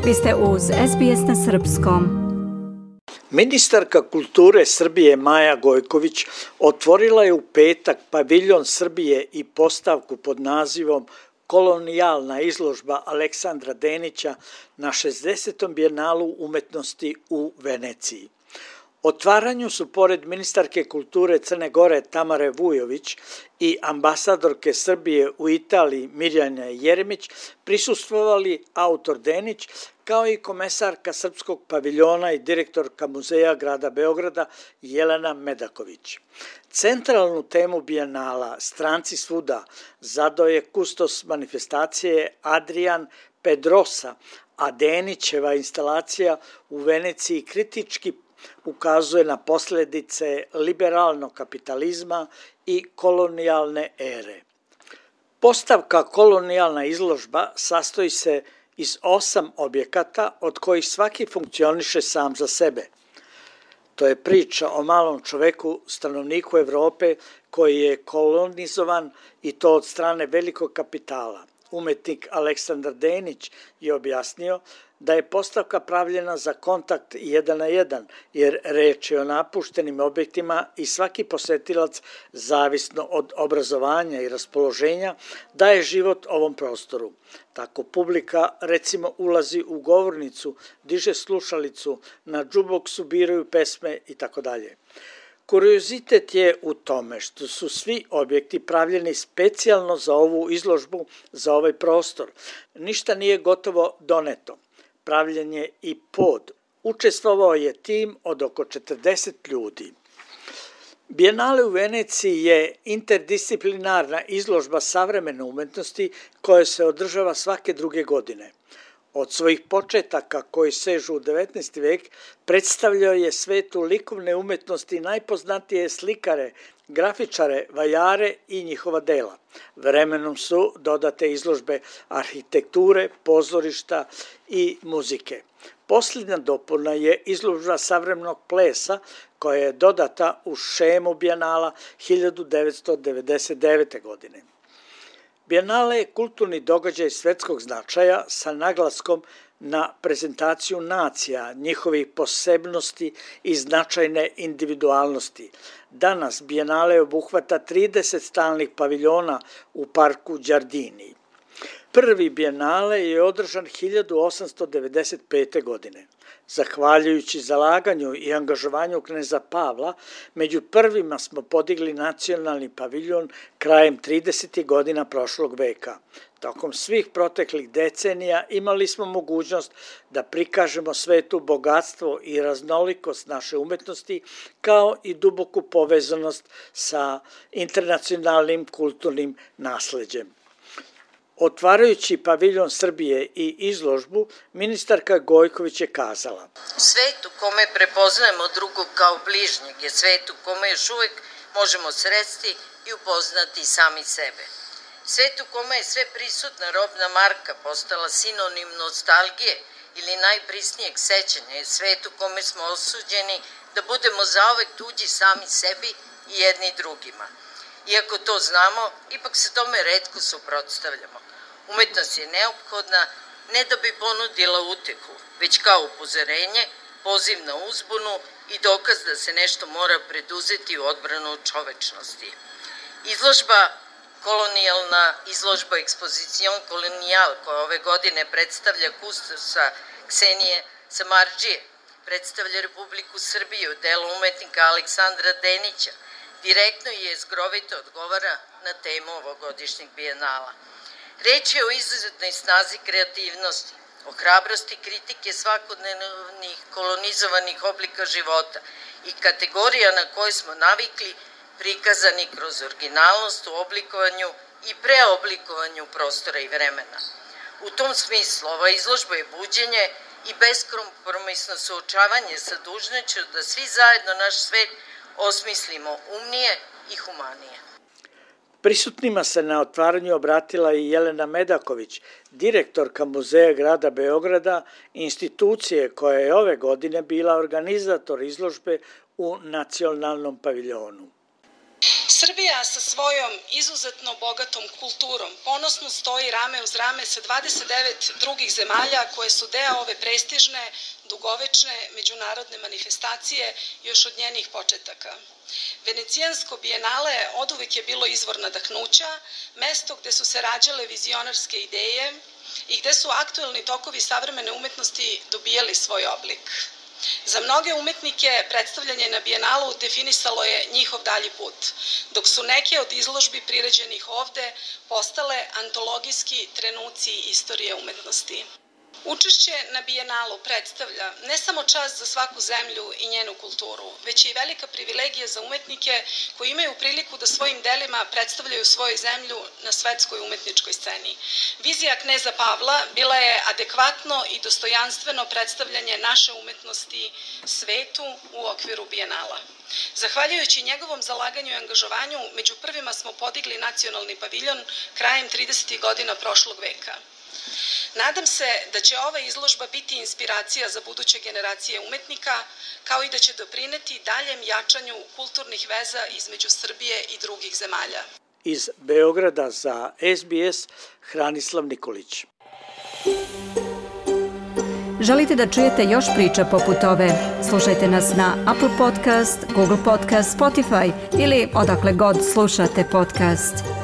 Vi ste uz SBS na srpskom. Ministarka kulture Srbije Maja Gojković otvorila je u petak paviljon Srbije i postavku pod nazivom Kolonijalna izložba Aleksandra Denića na 60. bijenalu umetnosti u Veneciji. Otvaranju su pored ministarke kulture Crne Gore Tamare Vujović i ambasadorke Srbije u Italiji Mirjana Jeremić prisustvovali autor Denić kao i komesarka Srpskog paviljona i direktorka Muzeja grada Beograda Jelena Medaković. Centralnu temu bijenala Stranci svuda zadao je kustos manifestacije Adrian Pedrosa, a Denićeva instalacija u Veneciji kritički ukazuje na posljedice liberalnog kapitalizma i kolonijalne ere. Postavka Kolonijalna izložba sastoji se iz 8 objekata od kojih svaki funkcioniše sam za sebe. To je priča o malom čoveku, stanovniku Evrope koji je kolonizovan i to od strane velikog kapitala. Umetnik Aleksandar Denić je objasnio da je postavka pravljena za kontakt 1 na 1, jer reč je o napuštenim objektima i svaki posetilac, zavisno od obrazovanja i raspoloženja, daje život ovom prostoru. Tako publika recimo ulazi u govornicu, diže slušalicu, na džuboksu biraju pesme itd. Kuriozitet je u tome što su svi objekti pravljeni specijalno za ovu izložbu, za ovaj prostor. Ništa nije gotovo doneto. Pravljen je i pod. Učestvovao je tim od oko 40 ljudi. Bijenale u Veneciji je interdisciplinarna izložba savremene umetnosti koja se održava svake druge godine. Od svojih početaka koji sežu u 19. vek predstavljao je svetu likovne umetnosti najpoznatije slikare, grafičare, vajare i njihova dela. Vremenom su dodate izložbe arhitekture, pozorišta i muzike. Posljednja dopuna je izložba savremenog plesa koja je dodata u šemu bijenala 1999. godine. Bijenale je kulturni događaj svetskog značaja sa naglaskom na prezentaciju nacija, njihovih posebnosti i značajne individualnosti. Danas bijenale obuhvata 30 stalnih paviljona u parku Đardini. Prvi bijenale je održan 1895. godine. Zahvaljujući zalaganju i angažovanju kneza Pavla, među prvima smo podigli nacionalni paviljon krajem 30. godina prošlog veka. Tokom svih proteklih decenija imali smo mogućnost da prikažemo svetu bogatstvo i raznolikost naše umetnosti, kao i duboku povezanost sa internacionalnim kulturnim nasleđem. Otvarajući paviljon Srbije i izložbu, ministarka Gojković je kazala: Svet u kome prepoznajemo drugog kao bližnjeg je svet u kome još uvijek možemo sresti i upoznati sami sebe. Svet u kome je sve prisutna robna marka postala sinonim nostalgije ili najprisnijeg sećanja je svet u kome smo osuđeni da budemo zauvek tuđi sami sebi i jedni drugima. Iako to znamo, ipak se tome retko suprotstavljamo. Umetnost je neophodna ne da bi ponudila utehu, već kao upozorenje, poziv na uzbunu i dokaz da se nešto mora preduzeti u odbranu čovečnosti. Izložba Kolonijalna izložba Exposition Colonial koja ove godine predstavlja kustosa Ksenije Samardžije, predstavlja Republiku Srbiju, delo umetnika Aleksandra Denića, direktno i jezgrovito odgovara na temu ovogodišnjeg bijenala. Reč je o izuzetnoj snazi kreativnosti, o hrabrosti kritike svakodnevnih kolonizovanih oblika života i kategorija na koje smo navikli prikazani kroz originalnost u oblikovanju i preoblikovanju prostora i vremena. U tom smislu ova izložba je buđenje i beskompromisno suočavanje sa dužnošću da svi zajedno naš svet osmislimo umnije i humanije. Prisutnima se na otvaranju obratila i Jelena Medaković, direktorka Muzeja grada Beograda, institucije koja je ove godine bila organizator izložbe u nacionalnom paviljonu. Srbija sa svojom izuzetno bogatom kulturom ponosno stoji rame uz rame sa 29 drugih zemalja koje su deo ove prestižne, dugovečne međunarodne manifestacije još od njenih početaka. Venecijansko bijenale oduvek je bilo izvor nadahnuća, mesto gde su se rađale vizionarske ideje i gde su aktuelni tokovi savremene umetnosti dobijali svoj oblik. Za mnoge umetnike predstavljanje na bijenalu definisalo je njihov dalji put, dok su neke od izložbi priređenih ovde postale antologijski trenuci istorije umetnosti. Učešće na bijenalu predstavlja ne samo čast za svaku zemlju i njenu kulturu, već i velika privilegija za umetnike koji imaju priliku da svojim delima predstavljaju svoju zemlju na svetskoj umetničkoj sceni. Vizija kneza Pavla bila je adekvatno i dostojanstveno predstavljanje naše umetnosti svetu u okviru bijenala. Zahvaljujući njegovom zalaganju i angažovanju, među prvima smo podigli nacionalni paviljon krajem 30. godina prošlog veka. Nadam se da će ova izložba biti inspiracija za buduće generacije umetnika, kao i da će doprineti daljem jačanju kulturnih veza između Srbije i drugih zemalja. Iz Beograda za SBS, Hranislav Nikolić. Želite da čujete još priča poput ove? Slušajte nas na Apple Podcast, Google Podcast, Spotify ili odakle god slušate podcast.